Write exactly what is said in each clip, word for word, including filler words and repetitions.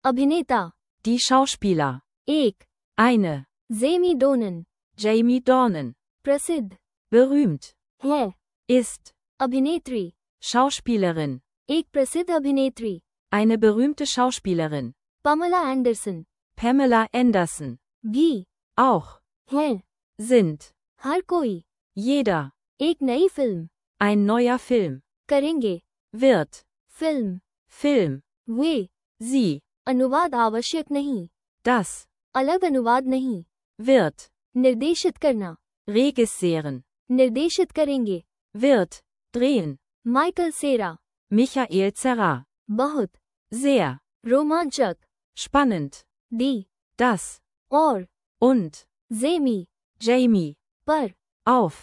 अभिनेता, Die Schauspieler. एक, Eine. Jamie डोनन, Jamie Dornan. प्रसिद्ध, Berühmt. है, Ist. अभिनेत्री, Schauspielerin. एक प्रसिद्ध अभिनेत्री, Eine berühmte Schauspielerin. Pamela Anderson, Pamela Anderson. भी, Auch. है, Sind. हर कोई, Jeder. एक नई फिल्म, Ein neuer Film. करेंगे, Wird. Film, Film. वे, Sie. अनुवाद आवश्यक नहीं, Das. अलग अनुवाद नहीं, Wird. निर्देशित करना, Regisseeren. निर्देशित करेंगे, Wird. Drehen. माइकल सेरा, Michael Zerra. बहुत, Sehr. रोमांचक, Spannend. दी, Das. और, Und. Jamie, Jamie. पर, Auf.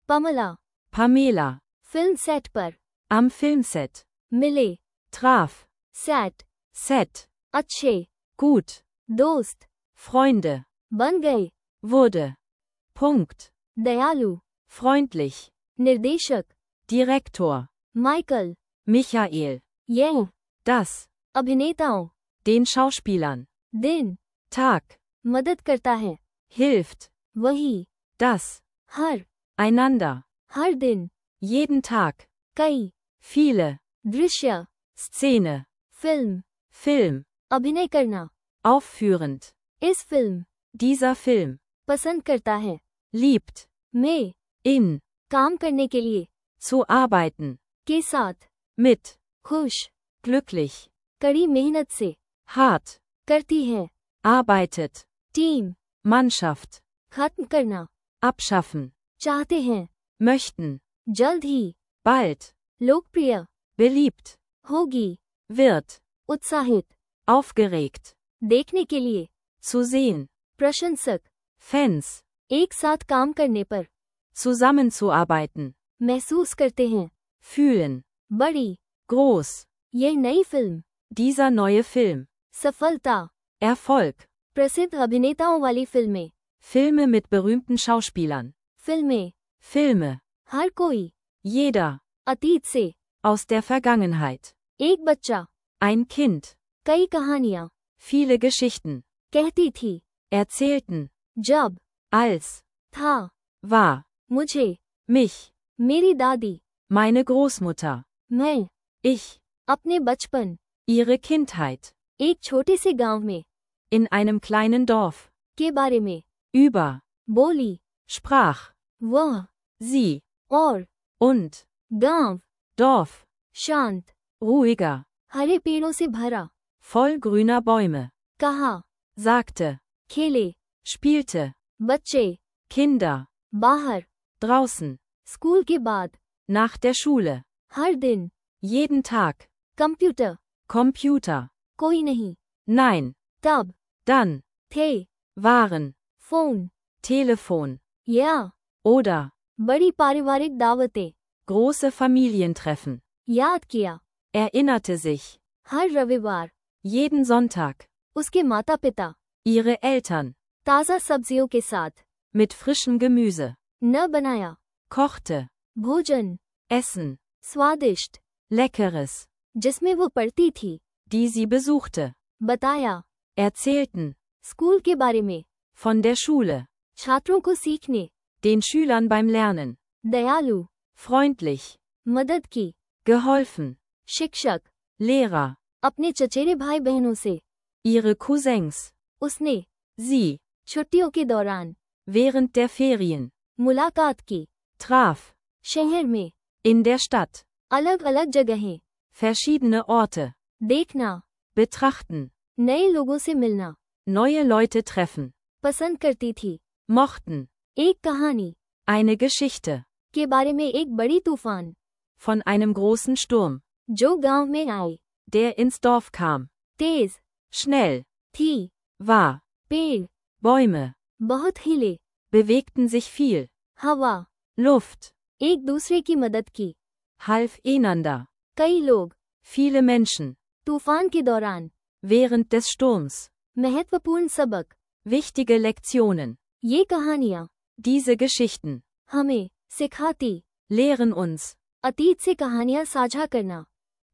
पमला, Pamela. फिल्म सेट पर, Am Filmset. मिले, Traf. Set, Set. अच्छे, Gut. दोस्त, Freunde. बन गए, Wurde. Punkt. दयालु, Freundlich. निर्देशक, Direktor. Michael, Michael. यह, Das. अभिनेताओं, Den Schauspielern. दिन, Tag. मदद करता है, Hilft. वही, Das. हर, Einander. हर दिन, Jeden Tag. कई, Viele. दृश्य, Szene. Film, Film. अभिनय करना, Aufführend. इस फिल्म, Dieser Film. पसंद करता है, Liebt. में, In. काम करने के लिए, Zu arbeiten. के साथ, Mit. खुश, Glücklich. कड़ी मेहनत से, Hart. करती है, Arbeitet. Team, Mannschaft. खत्म करना, Abschaffen. चाहते हैं, Möchten. जल्द ही, Bald. लोकप्रिय, Beliebt. होगी, Wird. उत्साहित, Aufgeregt. देखने के लिए, Zu sehen. प्रशंसक, Fans. एक साथ काम करने पर, Zusammenzuarbeiten. महसूस करते हैं, Fühlen. बड़ी, Groß. यह नई फिल्म, Dieser neue Film. सफलता, Erfolg. प्रसिद्ध अभिनेताओं वाली फिल्में, Filme mit berühmten Schauspielern. फिल्में, Filme. हर कोई, Jeder. अतीत से, Aus der Vergangenheit. एक बच्चा, Ein Kind. कई कहानियां, Viele Geschichten. कहती थी, Erzählten. जब, Als. था, War. मुझे, Mich. मेरी दादी, Meine Großmutter. मैं, Ich. अपने बचपन, Ihre Kindheit. एक छोटे से गांव में, In einem kleinen Dorf. के बारे में, Über. बोली, Sprach. वह, Sie. और, Und. गांव, Dorf. शांत, Ruhiger. हरे पेड़ों से भरा, Voll grüner Bäume. कहा, Sagte. खेले, Spielte. बच्चे, Kinder. बाहर, Draußen. स्कूल के बाद, Nach der Schule. हर दिन, Jeden Tag. Computer, Computer. कोई नहीं, Nein. तब, Dann. थे, Waren. Phone, Telefon. या, Oder. बड़ी पारिवारिक दावतें, Große Familientreffen. याद किया, Erinnerte sich. हर रविवार, Jeden Sonntag. उसके माता पिता, Ihre Eltern. ताज़ा सब्जियों के साथ, Mit frischem Gemüse. न बनाया, Kochte. भोजन, Essen. स्वादिष्ट, Leckeres. जिसमें वो पढ़ती थी, Die sie besuchte. बताया, Erzählten. स्कूल के बारे में, Von der Schule. छात्रों को सीखने, Den Schülern beim Lernen. दयालु, Freundlich. मदद की, Geholfen. शिक्षक, Lehrer. अपने चचेरे भाई बहनों से, Ihre Cousins. उसने, Sie. छुट्टियों के दौरान, Während der Ferien. मुलाकात की, Traf. शहर में, In der Stadt. अलग अलग जगहें, Verschiedene Orte. देखना, Betrachten. नए लोगों से मिलना, Neue Leute treffen. पसंद करती थी, Mochten. एक कहानी, Eine Geschichte. के बारे में एक बड़ी तूफान, Von einem großen Sturm. जो गांव में आई, Der ins Dorf kam. तेज, Schnell. थी, War. पेड़, Bäume. बहुत हिले, Bewegten sich viel. हवा, Luft. एक दूसरे की मदद की, Half einander. कई लोग, Viele Menschen. तूफान के दौरान, Während des Sturms. महत्वपूर्ण सबक, Wichtige Lektionen. ये कहानियाँ, Diese Geschichten. हमें, सिखाती, Lehren uns. अतीत से कहानियाँ साझा करना,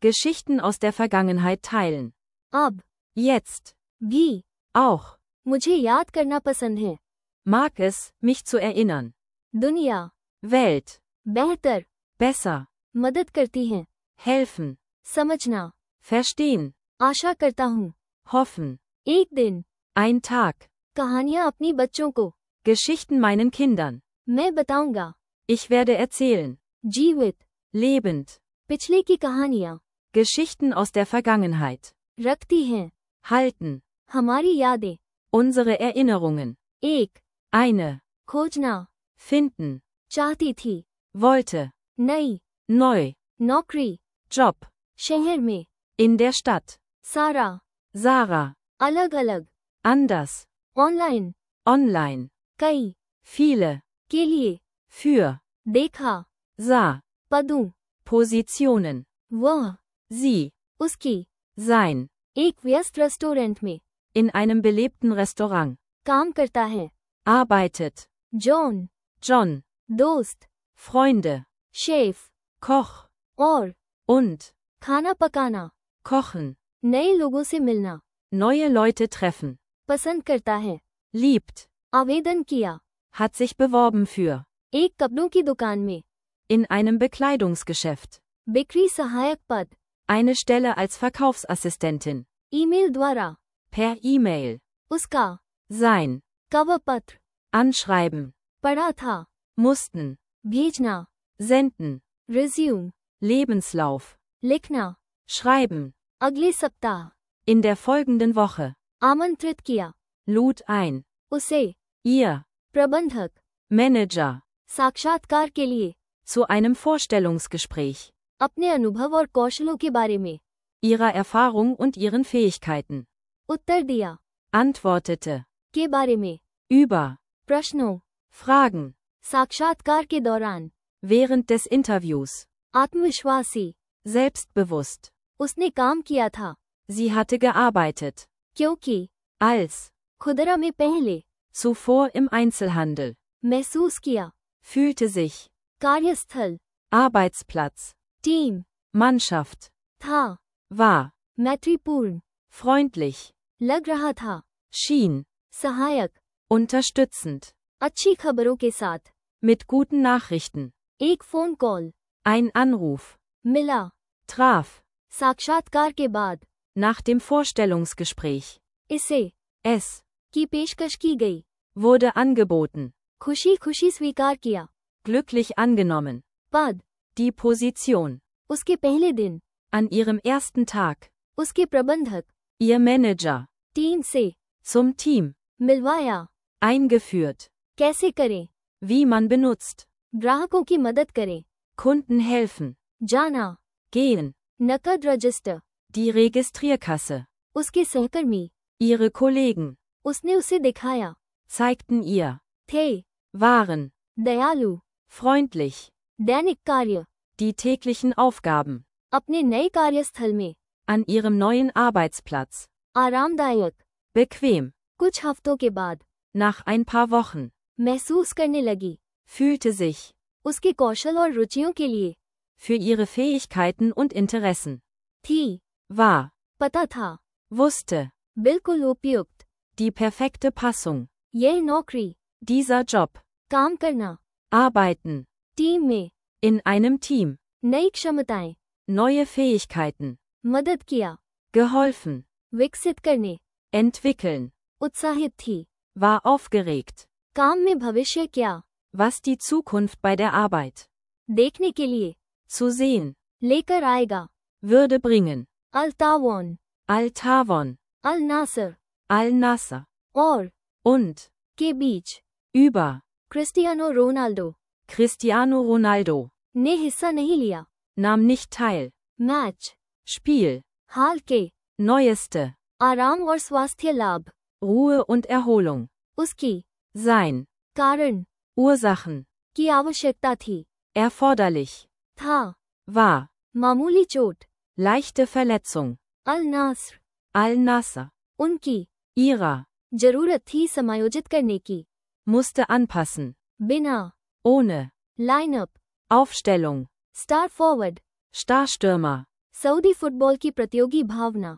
Geschichten aus der Vergangenheit teilen. अब, Jetzt. भी Auch. मुझे याद करना पसंद है। Mag es, mich zu erinnern. दुनिया Welt. बेहतर Besser. मदद करती है। Helfen. समझना Verstehen. आशा करता हूँ। Hoffen. एक दिन Ein Tag. कहानियाँ अपनी बच्चों को Geschichten meinen Kindern. मैं बताऊंगा। Ich werde erzählen. जीवित Lebend. पिछले की कहानियाँ Geschichten aus der Vergangenheit. रखती हैं Halten. हमारी यादें। Unsere Erinnerungen. एक Eine. खोजना Finden. चाहती थी। Wollte. नई Neu. नौकरी Job. शहर में। In der Stadt. सारा Sarah. अलग अलग। Anders. Online Online. कई Viele. के लिए। Für. देखा Sah. पदों Positionen. वह Sie. उसकी Sein. एक व्यस्त रेस्टोरेंट में In einem belebten Restaurant. काम करता है। Arbeitet. John John. दोस्त Freunde. Chef Koch. और Und. खाना पकाना Kochen. नए लोगों से मिलना Neue Leute treffen. पसंद करता है। Liebt. आवेदन किया Hat sich beworben für. एक कपड़ों की दुकान में। In einem Bekleidungsgeschäft. बिक्री सहायक पद Eine Stelle als Verkaufsassistentin. Email द्वारा Per E-Mail. उसका Sein. कवर पत्र Anschreiben. पढ़ा था। Mussten. भेजना Senden. Resume Lebenslauf. लिखना Schreiben. अगले सप्ताह In der folgenden Woche. आमंत्रित किया Lud ein. उसे Ihr. प्रबंधक Manager. साक्षात्कार के लिए Zu einem Vorstellungsgespräch. अपने अनुभव और कौशलों के बारे में Ihrer Erfahrung und ihren Fähigkeiten. उत्तर दिया Antwortete. के बारे में Über. प्रश्नों Fragen. साक्षात्कार के दौरान Während des Interviews. आत्मविश्वासी Selbstbewusst. उसने काम किया था Sie hatte gearbeitet. क्योंकि Als. खुदरा में पहले Zuvor im Einzelhandel. महसूस किया Fühlte sich. कार्यस्थल Arbeitsplatz. Team Mannschaft. था War. मैत्रीपूर्ण Freundlich. लग रहा था Schien. सहायक Unterstützend. अच्छी खबरों के साथ Mit guten Nachrichten. एक फोन कॉल Ein Anruf. मिला Traf. साक्षात्कार के बाद Nach dem Vorstellungsgespräch. इसे Es. की पेशकश की गई Wurde angeboten. खुशी खुशी स्वीकार किया Glücklich angenommen. पद Die Position. उसके पहले दिन An ihrem ersten Tag. उसके प्रबंधक Ihr Manager. टीम से Zum Team. मिलवाया Eingeführt. कैसे करें Wie man benutzt. ग्राहकों की मदद करें Kunden helfen. जाना Gehen. नकद रजिस्टर Die Registrierkasse. उसके सहकर्मी Ihre Kollegen. उसने उसे दिखाया Zeigten ihr. थे Waren. दयालु Freundlich. दैनिक कार्य Die täglichen Aufgaben. अपने नए कार्यस्थल में An ihrem neuen Arbeitsplatz. आरामदायक Bequem. कुछ हफ्तों के बाद Nach ein paar Wochen. महसूस करने लगी Fühlte sich. उसके कौशल और रुचियों के लिए Für ihre Fähigkeiten und Interessen. थी War. पता था Wusste. बिल्कुल उपयुक्त Die perfekte Passung. यह नौकरी Dieser Job. काम करना Arbeiten. टीम में In einem Team. नई क्षमताएं Neue Fähigkeiten. मदद किया Geholfen. विकसित करने Entwickeln. उत्साहित थी War aufgeregt. काम में भविष्य क्या Was die Zukunft bei der Arbeit. देखने के लिए Zu sehen. लेकर आएगा Würde bringen. अल तावान Al-Tawon. अल नासर Al-Nasser. और Und. के बीच Über. Cristiano Ronaldo Cristiano Ronaldo. ने हिस्सा नहीं लिया Nahm nicht teil. Match Spiel. हाल के Neueste. आराम और स्वास्थ्य लाभ Ruhe und Erholung. उसकी Sein. कारण Ursachen. की आवश्यकता थी Erforderlich. था War. मामूली चोट Leichte Verletzung. अल नासर Al-Nasser. उनकी Ihrer. जरूरत थी समायोजित करने की Musste anpassen. बिना Ohne. Lineup Aufstellung. Star forward Starstürmer. Saudi football की प्रतियोगी भावना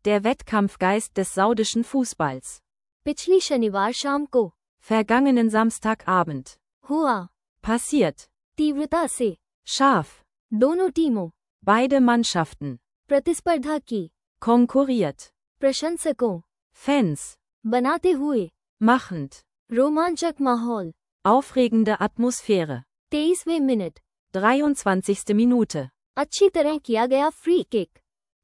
Der Wettkampfgeist des saudischen Fußballs. पिछली शनिवार शाम को Vergangenen Samstagabend. हुआ, Passiert. तीव्रता से Scharf. दोनों टीमों Beide Mannschaften. प्रतिस्पर्धा की, Konkurriert. प्रशंसकों Fans. बनाते हुए, Machend. रोमांचक माहौल, Aufregende Atmosphäre. तेईसवें मिनट, dreiundzwanzigste Minute. अच्छी तरह किया गया free kick,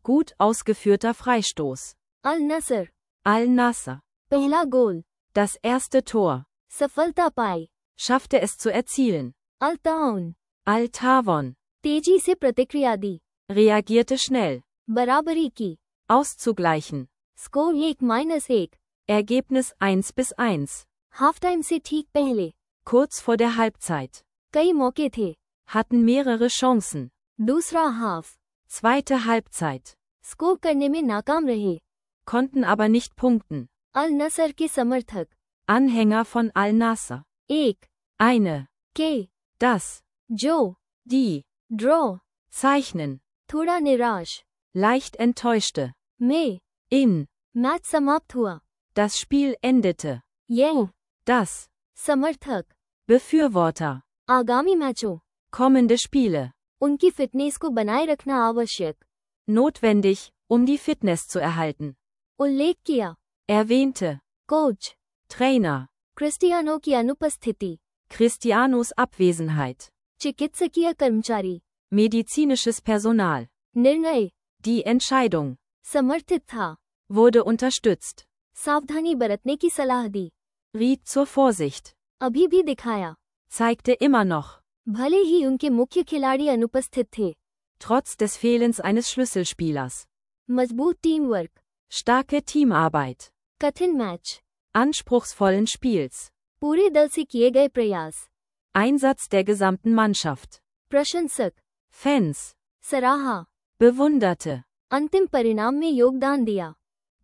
Gut ausgeführter Freistoß. अल नसर, Al-Nassr. पहला गोल, Das erste Tor. सफलता पाई, Schaffte es zu erzielen. अल ताउन, Al-Tawon. तेजी से प्रतिक्रिया दी, Reagierte schnell. बराबरी की, Auszugleichen. स्कोर एक माइनस एक, Ergebnis eins bis eins. Half time से ठीक पहले, Kurz vor der Halbzeit. कई मौके थे, Hatten mehrere Chancen. दूसरा हाफ, Zweite Halbzeit. स्कोर करने में नाकाम रहे, Konnten aber nicht punkten. अल नसर के समर्थक, Anhänger von Al-Nassr. एक, Eine. के, Das. जो, Die. Draw, Zeichnen. थोड़ा निराश, Leicht enttäuschte. में, In. मैच समाप्त हुआ, Das Spiel endete. यह, Das. समर्थक, Befürworter. आगामी मैचों, Kommende Spiele. उनकी फिटनेस को बनाए रखना आवश्यक, Notwendig, um die Fitness zu erhalten. उल्लेख किया, Erwähnte. Coach, Trainer. क्रिस्टियानो की अनुपस्थिति, Cristianos Abwesenheit. चिकित्सकीय कर्मचारी, Medizinisches Personal. निर्णय, Die Entscheidung. समर्थित था, Wurde unterstützt. सावधानी बरतने की सलाह दी, Riet zur Vorsicht. अभी भी दिखाया, Zeigte immer noch. भले ही उनके मुख्य खिलाड़ी अनुपस्थित थे, Trotz des Fehlens eines Schlüsselspielers. मजबूत टीम वर्क, Starke Teamarbeit. कठिन मैच, Anspruchsvollen Spiels. पूरे दल से किए गए प्रयास, Einsatz der gesamten Mannschaft. प्रशंसक, Fans. सराहा, Bewunderte. अंतिम परिणाम में योगदान दिया,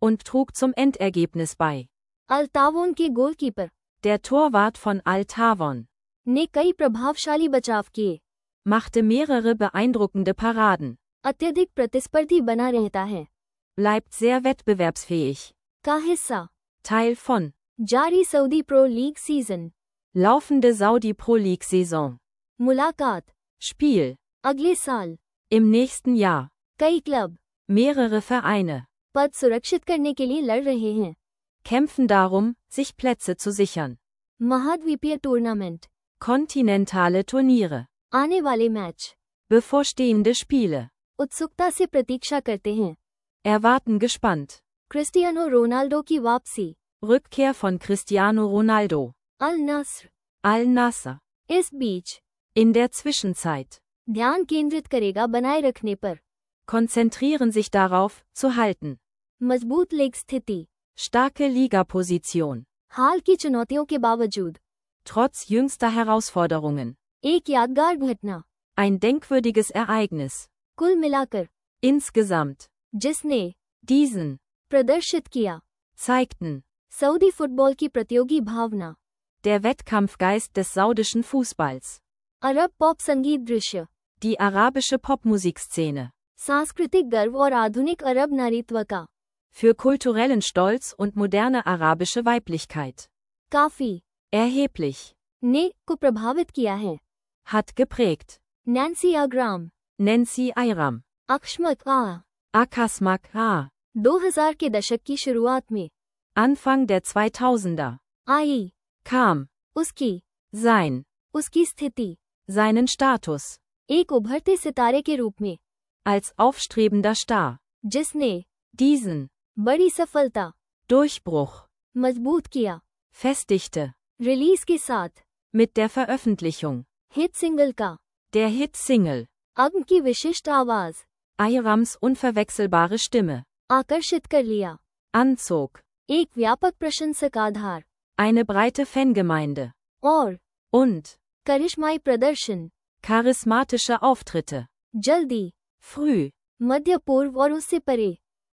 Und trug zum Endergebnis bei. अल तावोन के goalkeeper Der Torwart von Al-Tawon ने कई प्रभावशाली बचाव किए, machte mehrere beeindruckende Paraden. अत्यधिक प्रतिस्पर्धी बना रहता है, Bleibt sehr wettbewerbsfähig. का हिस्सा, Teil von. जारी Saudi pro league season, Laufende Saudi Pro League Saison. मुलाकात, Spiel. अगले साल, Im nächsten Jahr. कई क्लब Mehrere Vereine पद सुरक्षित करने के लिए लड़ रहे हैं, kämpfen darum, sich Plätze zu sichern. महाद्वीपीय टूर्नामेंट, Kontinentale Turniere. आने वाले मैच, Bevorstehende Spiele. उत्सुकता से प्रतीक्षा करते हैं, Erwarten gespannt. क्रिस्टियानो रोनाल्डो की वापसी, Rückkehr von Cristiano Ronaldo. अल नस्र, Al-Nassr. इस बीच, In der Zwischenzeit. ध्यान केंद्रित करेगा बनाए रखने पर, Konzentrieren sich darauf, zu halten. मजबूत लीग स्थिति, Starke Ligaposition. हाल की चुनौतियों के बावजूद, Trotz jüngster Herausforderungen. एक यादगार घटना, Ein denkwürdiges Ereignis. कुल मिलाकर, Insgesamt. जिसने Diesen. प्रदर्शित किया, Zeigten. सऊदी फुटबॉल की प्रतियोगी भावना, Der Wettkampfgeist des saudischen Fußballs. अरब पॉप संगीत दृश्य, Die arabische Popmusikszene. सांस्कृतिक गर्व और आधुनिक अरब नारीत्व का, Für kulturellen Stolz und moderne arabische Weiblichkeit. काफी, Erheblich. ने को प्रभावित किया है, Hat geprägt. नैन्सी आग्राम, Nancy Ayram. अक्षमक आ, Akasmak A. दो हज़ार के दशक की शुरुआत में, Anfang der zweitausender. आई, Kam. उसकी, Sein. उसकी स्थिति, Seinen Status. एक उभरते सितारे के रूप में, Als aufstrebender Star. जिसने Diesen. बड़ी सफलता, Durchbruch. मजबूत किया, Festigte. रिलीज के साथ, Mit der Veröffentlichung. Hit single का, Der Hit-Single. अग्न की विशिष्ट आवाज, Ayrams unverwechselbare Stimme. आकर्षित कर लिया, Anzog. एक व्यापक प्रशंसक आधार, Eine breite Fangemeinde. और Und. करिश्माई प्रदर्शन, Charismatische Auftritte. जल्दी, Früh. मध्य पूर्व और उससे परे,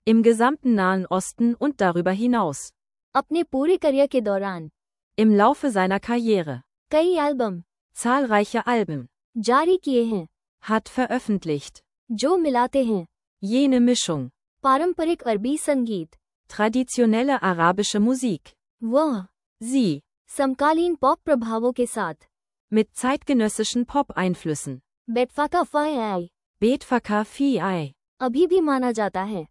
Im gesamten Nahen Osten und darüber hinaus. अपने पूरे करियर के दौरान, Im Laufe seiner Karriere. कई एल्बम Zahlreiche Alben. जारी किए हैं, Hat veröffentlicht. जो मिलाते हैं, Jene Mischung. पारंपरिक अरबी संगीत। Traditionelle arabische Musik. वह Sie. समकालीन पॉप प्रभावों के साथ। Mit zeitgenössischen Pop-Einflüssen. बेटफाका फाई Betfaka Fi. अभी भी माना जाता है।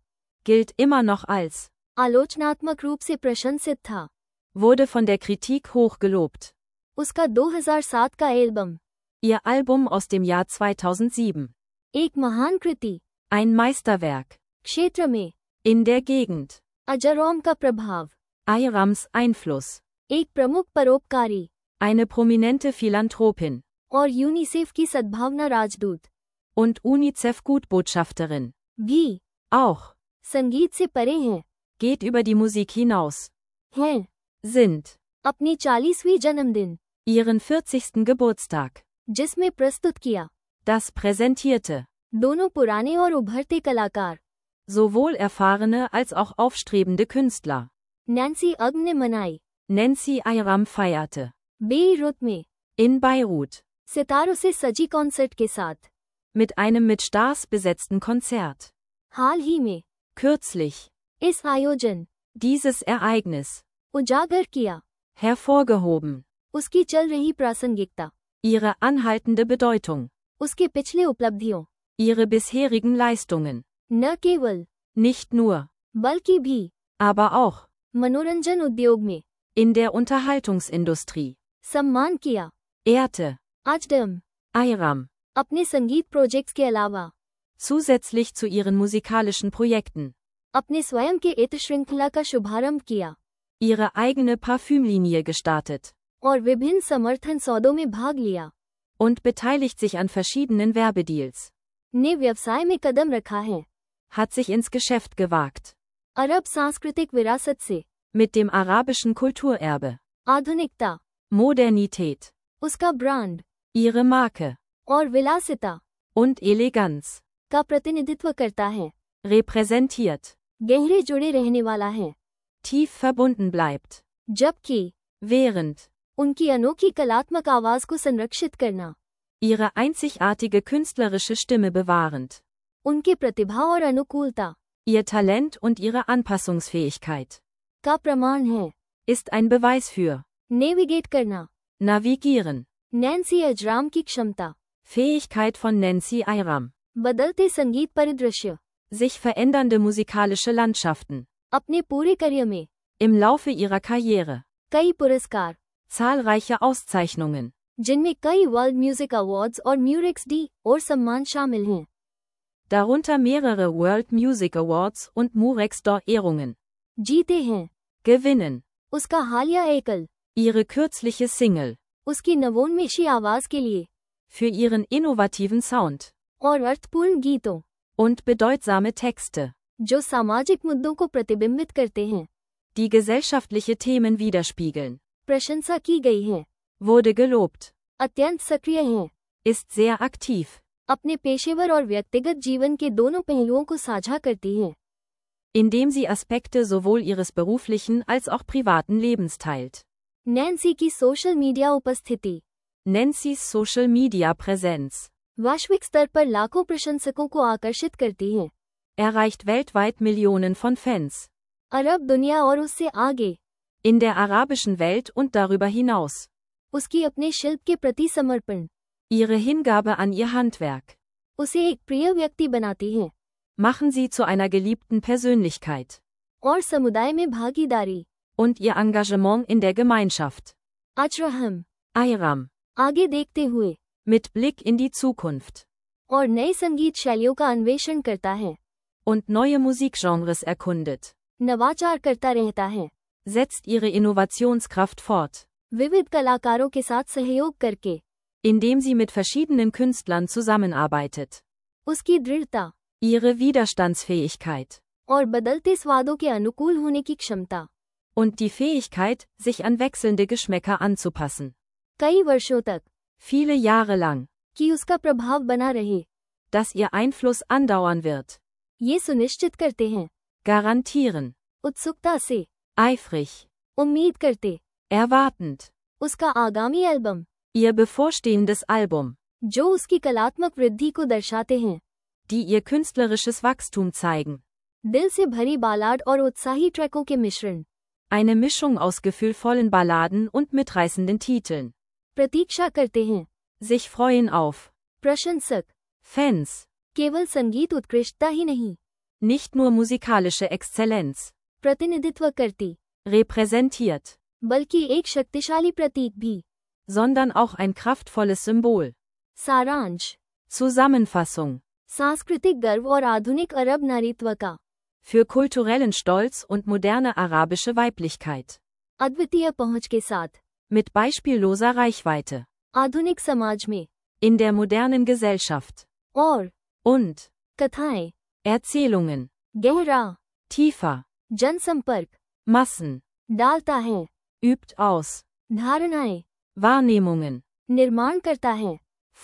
Gilt immer noch als. आलोचनात्मक रूप से प्रशंसित था। Wurde von der Kritik hoch gelobt. उसका दो हज़ार सात का album Ihr Album aus dem Jahr zweitausendsieben. एक महान कृति। Ein Meisterwerk. क्षेत्र में In der Gegend. अजरोम का प्रभाव। Ayrams Einfluss. एक प्रमुख परोपकारी Eine prominente Philanthropin. और यूनिसेफ की सद्भावना राजदूत Und UNICEF-Gutbotschafterin. भी Auch. संगीत से परे हैं। Geht über die Musik hinaus. हैं Sind. अपनी चालीसवीं जन्मदिन Ihren vierzigsten Geburtstag. जिसमें प्रस्तुत किया। Das präsentierte. दोनों पुराने और उभरते कलाकार Sowohl erfahrene als auch aufstrebende Künstler. Nancy अग ने मनाई। Nancy Ayram feierte. बेरूत में In Beirut. सितारों से सजी कॉन्सर्ट के साथ। Mit einem mit Stars besetzten Konzert. हाल ही में Kürzlich. इस आयोजन Dieses Ereignis. उजागर किया Hervorgehoben. उसकी चल रही प्रासंगिकता, Ihre anhaltende Bedeutung. उसके पिछले उपलब्धियों, Ihre bisherigen Leistungen. न केवल Nicht nur. बल्कि भी Aber auch. मनोरंजन उद्योग में In der Unterhaltungsindustrie. सम्मान किया। Ehrte. आजडम Ayram. अपने संगीत प्रोजेक्ट्स के अलावा Zusätzlich zu ihren musikalischen Projekten. अपने स्वयं के इत्र श्रृंखला का शुभारंभ किया Ihre eigene Parfümlinie gestartet. और विभिन्न समर्थन सौदों में भाग लिया। Und beteiligt sich an verschiedenen Werbedeals. ने व्यवसाय में कदम रखा है। Hat sich ins Geschäft gewagt. अरब सांस्कृतिक विरासत से Mit dem arabischen Kulturerbe. आधुनिकता, Modernität. उसका ब्रांड Ihre Marke. और विलासिता Und Eleganz. का प्रतिनिधित्व करता है। Repräsentiert. गहरे जुड़े रहने वाला है। Tief verbunden bleibt. जबकि Während. उनकी अनोखी कलात्मक आवाज को संरक्षित करना Ihre einzigartige künstlerische Stimme bewahrend. उनके प्रतिभा और अनुकूलता Ihr Talent und ihre Anpassungsfähigkeit. का प्रमाण है। Ist ein Beweis für. Navigate करना, Navigieren. नैन्सी अजराम की क्षमता, Fähigkeit von Nancy Ayram. बदलते संगीत परिदृश्य, Sich verändernde musikalische Landschaften. अपने पूरे करियर में Im Laufe ihrer Karriere. कई पुरस्कार, Zahlreiche Auszeichnungen. जिनमें कई वर्ल्ड म्यूजिक अवार्ड्स और म्यूरिक्स डी और सम्मान शामिल हैं। Darunter mehrere World Music Awards und Murex d'Or Ehrungen. जीते हैं। Gewinnen. उसका हालिया एकल Ihre kürzliche Single. उसकी नवोन्मेषी आवाज के लिए Für ihren innovativen Sound. और अर्थपूर्ण गीतों Und bedeutsame Texte. जो सामाजिक मुद्दों को प्रतिबिंबित करते हैं, Die gesellschaftliche Themen widerspiegeln. प्रशंसा की गई है। Wurde gelobt. अत्यंत सक्रिय हैं। Ist sehr aktiv. अपने पेशेवर और व्यक्तिगत जीवन के दोनों पहलुओं को साझा करती हैं। Indem sie Aspekte sowohl ihres beruflichen als auch privaten Lebens teilt. Nancy की सोशल मीडिया उपस्थिति Nancy's Social Media Präsenz. वैश्विक स्तर पर लाखों प्रशंसकों को आकर्षित करती है। Erreicht weltweit Millionen von Fans. अरब दुनिया और उससे आगे In der arabischen Welt und darüber hinaus. उसकी अपने शिल्प के प्रति समर्पण Ihre Hingabe an ihr Handwerk. उसे एक प्रिय व्यक्ति बनाती है Machen sie zu einer geliebten Persönlichkeit. और समुदाय में भागीदारी Und ihr Engagement in der Gemeinschaft. अजरहम Ayram. आगे देखते हुए Mit Blick in die Zukunft. और नए संगीत शैलियों का अन्वेषण करता है, Und neue Musikgenres erkundet. नवाचार करता रहता है, Setzt ihre Innovationskraft fort. विविध कलाकारों के साथ सहयोग करके Indem sie mit verschiedenen Künstlern zusammenarbeitet. उसकी दृढ़ता Ihre Widerstandsfähigkeit. और बदलते स्वादों के अनुकूल होने की क्षमता Und die Fähigkeit, sich an wechselnde Geschmäcker anzupassen. कई वर्षों तक Viele Jahre lang. कि उसका प्रभाव बना रहे, Dass ihr Einfluss andauern wird. ये सुनिश्चित करते हैं। Garantieren. उत्सुकता से Eifrig. उम्मीद करते Erwartend. उसका आगामी एल्बम Ihr bevorstehendes Album. जो उसकी कलात्मक वृद्धि को दर्शाते हैं। Die ihr künstlerisches Wachstum zeigen. दिल से भरी बालाड और उत्साही ट्रैकों के मिश्रण। Eine Mischung aus gefühlvollen Balladen und mitreißenden Titeln. प्रतीक्षा करते हैं। Sich freuen auf. प्रशंसक। Fans. केवल संगीत उत्कृष्टता ही नहीं, Nicht nur musikalische Exzellenz. प्रतिनिधित्व करती, Repräsentiert. बल्कि एक शक्तिशाली प्रतीक भी। Sondern auch ein kraftvolles Symbol. सारांश। Zusammenfassung. सांस्कृतिक गर्व और आधुनिक अरब नारीत्व का। Für kulturellen Stolz und moderne arabische Weiblichkeit. अद्वितीय पहुंच के साथ। Mit beispielloser Reichweite. आधुनिक समाज में। In der modernen Gesellschaft. और Und. कथाएं। Erzählungen. गहरा। Tiefer. जनसंपर्क। Massen. डालता है। Übt aus. धारणाएं। Wahrnehmungen. निर्माण करता है।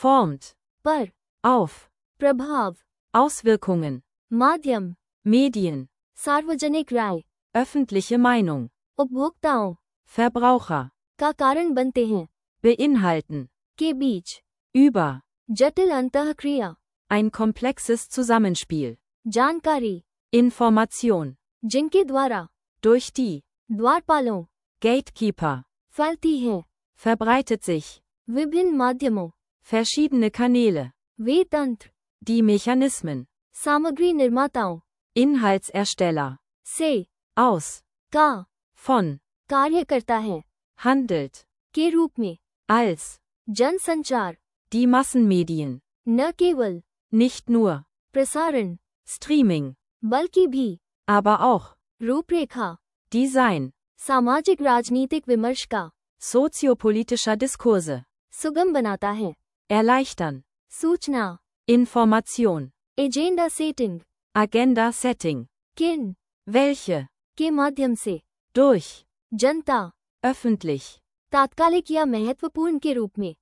Formt. पर। Auf. प्रभाव। Auswirkungen. माध्यम। Medien. सार्वजनिक राय। Öffentliche Meinung. उपभोक्ताओं Verbraucher. का कारण बनते हैं। Beinhalten. के बीच। Über. जटिल अंतःक्रिया। Ein komplexes Zusammenspiel. जानकारी। Information. जिनके द्वारा। Durch die. द्वारपालों। Gatekeeper. फैलती है। Verbreitet sich. विभिन्न माध्यमों। Verschiedene Kanäle. वे तंत्र। Die Mechanismen. सामग्री निर्माताओं। Inhaltsersteller. से। Aus. का। Von. कार्य करता है। Handelt. के रूप में। Als. जनसंचार। Die Massenmedien. न केवल। Nicht nur. प्रसारण। Streaming. बल्कि भी। Aber auch. रूपरेखा। Design. सामाजिक राजनीतिक विमर्श का। Soziopolitischer Diskurse. सुगम बनाता है। Erleichtern. सूचना। Information. Agenda setting. Agenda Setting. किन। Welche. के माध्यम से। Durch. जनता। Öffentlich. तात्कालिक या महत्वपूर्ण के रूप में।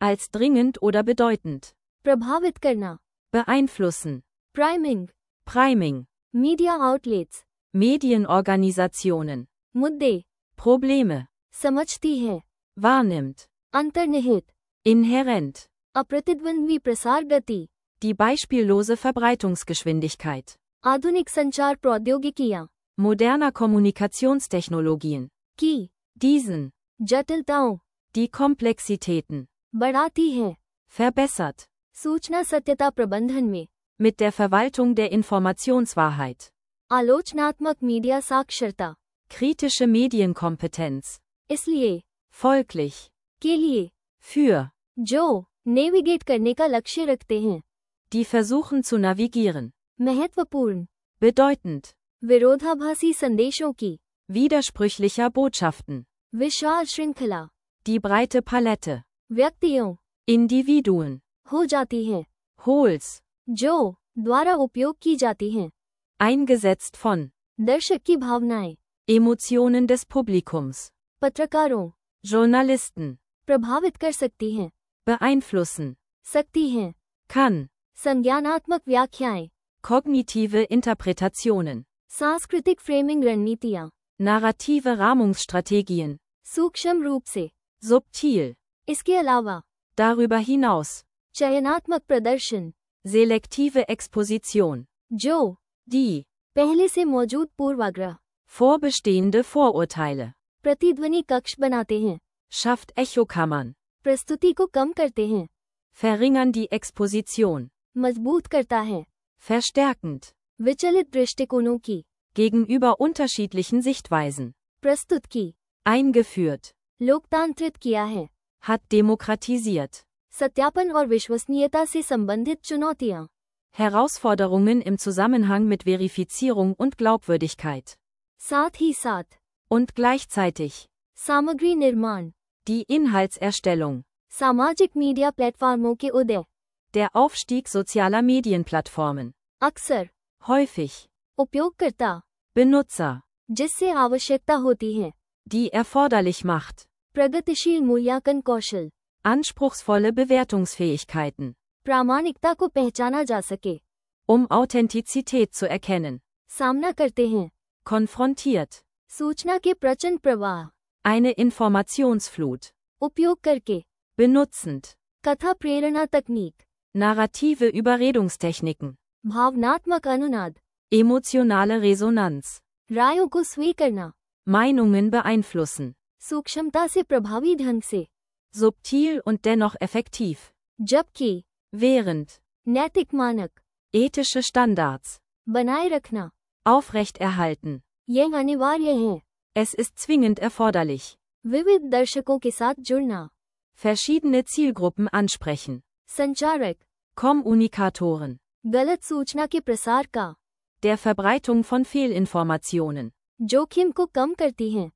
Als dringend oder bedeutend. प्रभावित करना। Beeinflussen. Priming. Priming. Media outlets. Medienorganisationen. मुद्दे। Probleme. समझती है। Wahrnimmt. अंतर्निहित। Inhärent. अप्रतिद्वंद्वी प्रसार गति। Die beispiellose Verbreitungsgeschwindigkeit. आधुनिक संचार प्रौद्योगिकियां। Moderner Kommunikationstechnologien. की। Diesen. जटिलताओं। Die Komplexitäten. बढ़ाती है। Verbessert. सूचना सत्यता प्रबंधन में। Mit der Verwaltung der Informationswahrheit. आलोचनात्मक मीडिया साक्षरता। Kritische Medienkompetenz. इसलिए। Folglich. के लिए। Für. जो नेविगेट करने का लक्ष्य रखते हैं। Die versuchen zu navigieren. महत्वपूर्ण। Bedeutend. विरोधाभासी संदेशों की। Widersprüchlicher Botschaften. विशाल श्रृंखला। Die breite Palette. व्यक्तियों। Individuen. हो जाती है। Hols. जो द्वारा उपयोग की जाती हैं। Eingesetzt von. दर्शक की भावनाएं। Emotionen des Publikums. पत्रकारों। Journalisten. प्रभावित कर सकती हैं। Beeinflussen. सकती हैं। Kann. संज्ञानात्मक व्याख्याएं। Kognitive Interpretationen. सांस्कृतिक फ्रेमिंग रणनीतियां। Narrative Rahmungsstrategien. सूक्ष्म रूप से। Subtil. इसके अलावा। Darüber hinaus. चयनात्मक प्रदर्शन। Selektive Exposition. जो Die. पहले से मौजूद पूर्वाग्रह। Vorbestehende Vorurteile. प्रतिध्वनि कक्ष बनाते हैं। Schafft Echokammern. प्रस्तुति को कम करते हैं। Verringern die Exposition. मजबूत करता है। Verstärkend. विचलित दृष्टिकोणों की। Gegenüber unterschiedlichen Sichtweisen. प्रस्तुत की। Eingeführt. लोकतांत्रित किया है। Hat demokratisiert. सत्यापन और विश्वसनीयता से संबंधित चुनौतियां। Herausforderungen im Zusammenhang mit Verifizierung und Glaubwürdigkeit. साथ ही साथ। Und gleichzeitig. सामग्री निर्माण। Die Inhaltserstellung. सामाजिक मीडिया प्लेटफॉर्मों के उदय। Der Aufstieg sozialer Medienplattformen. अक्सर। Häufig. उपयोगकर्ता। Benutzer. जिससे आवश्यकता होती है। Die erforderlich macht. प्रगतिशील मूल्यांकन कौशल। Anspruchsvolle Bewertungsfähigkeiten. प्रामाणिकता को पहचाना जा सके। Um Authentizität zu erkennen. सामना करते हैं। Konfrontiert. सूचना के प्रचंड प्रवाह। Eine Informationsflut. उपयोग करके। Benutzend. कथा प्रेरणा तकनीक। Narrative Überredungstechniken. भावनात्मक अनुनाद। Emotionale Resonanz. रायों को स्वीकारना, Meinungen beeinflussen. सूक्ष्मता से प्रभावी ढंग से, Subtil und dennoch effektiv. जबकि Während. नैतिक मानक, Ethische Standards. बनाए रखना, Aufrechterhalten. यह अनिवार्य है। Es ist zwingend erforderlich. विविध दर्शकों के साथ जुड़ना, Verschiedene Zielgruppen ansprechen. संचारक, Kommunikatoren. गलत सूचना के प्रसार का, Der Verbreitung von Fehlinformationen. जोखिम को कम करती हैं,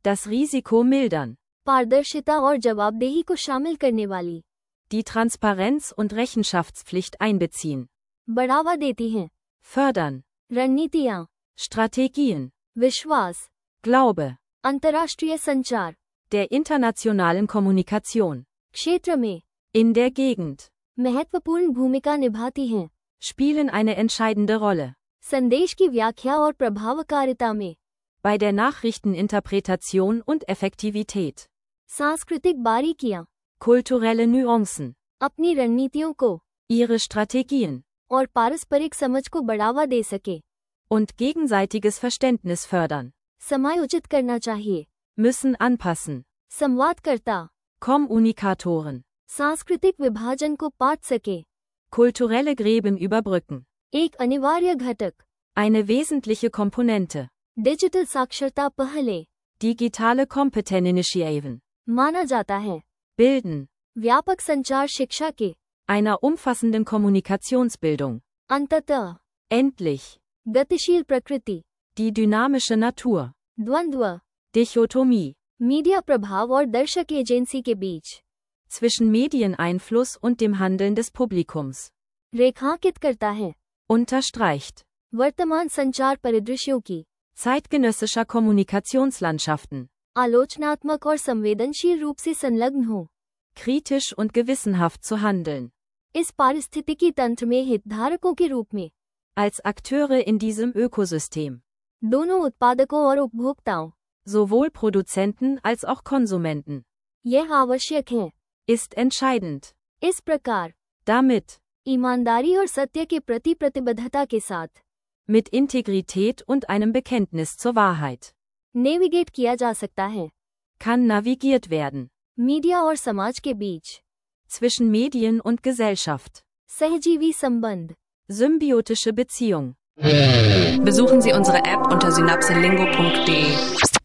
Das Risiko mildern. पारदर्शिता और जवाबदेही को शामिल करने वाली, Die Transparenz und Rechenschaftspflicht einbeziehen. बढ़ावा देती हैं, Fördern. रणनीतियाँ, Strategien. विश्वास, Glaube. अंतर्राष्ट्रीय संचार, Der internationalen Kommunikation. क्षेत्र में, In der Gegend. महत्वपूर्ण भूमिका निभाती हैं, Spielen eine entscheidende Rolle. संदेश की व्याख्या और प्रभावकारिता में, Bei der Nachrichteninterpretation und Effektivität. सांस्कृतिक बारीकियाँ, Kulturelle Nuancen. अपनी रणनीतियों को Ihre Strategien. और पारस्परिक समझ को बढ़ावा दे सके, Und gegenseitiges Verständnis fördern. समायोजित करना चाहिए, Müssen anpassen. संवादकर्ता, Kommunikatoren. सांस्कृतिक विभाजन को पाट सके, Kulturelle Gräben überbrücken. एक अनिवार्य घटक, Eine wesentliche Komponente. डिजिटल साक्षरता पहले, Digitale Kompetenzinitiativen. माना जाता है, Bilden. व्यापक संचार शिक्षा के, Einer umfassenden Kommunikationsbildung. अंततः, Endlich. गतिशील प्रकृति, Die dynamische Natur. द्वंद्व, Dichotomie. मीडिया प्रभाव और दर्शक एजेंसी के बीच, Zwischen Medieneinfluss und dem Handeln des Publikums. रेखांकित करता है, Unterstreicht. वर्तमान संचार परिदृश्यों की, Zeitgenössischer Kommunikationslandschaften. आलोचनात्मक और संवेदनशील रूप से संलग्न हो, Kritisch und gewissenhaft zu handeln. इस पारिस्थितिकी तंत्र में हितधारकों के रूप में, Als Akteure in diesem Ökosystem. दोनों उत्पादकों और उपभोक्ताओं, Sowohl Produzenten als auch Konsumenten. यह आवश्यक है, Ist entscheidend. इस प्रकार, Damit. ईमानदारी और सत्य के प्रति प्रतिबद्धता के साथ, Mit Integrität und einem Bekenntnis zur Wahrheit. Navigate किया जा सकता है, Kann navigiert werden. मीडिया और समाज के बीच, Zwischen Medien und Gesellschaft. सहजीवी संबंध, Symbiotische Beziehung. Besuchen Sie unsere App unter synapselingo punkt de.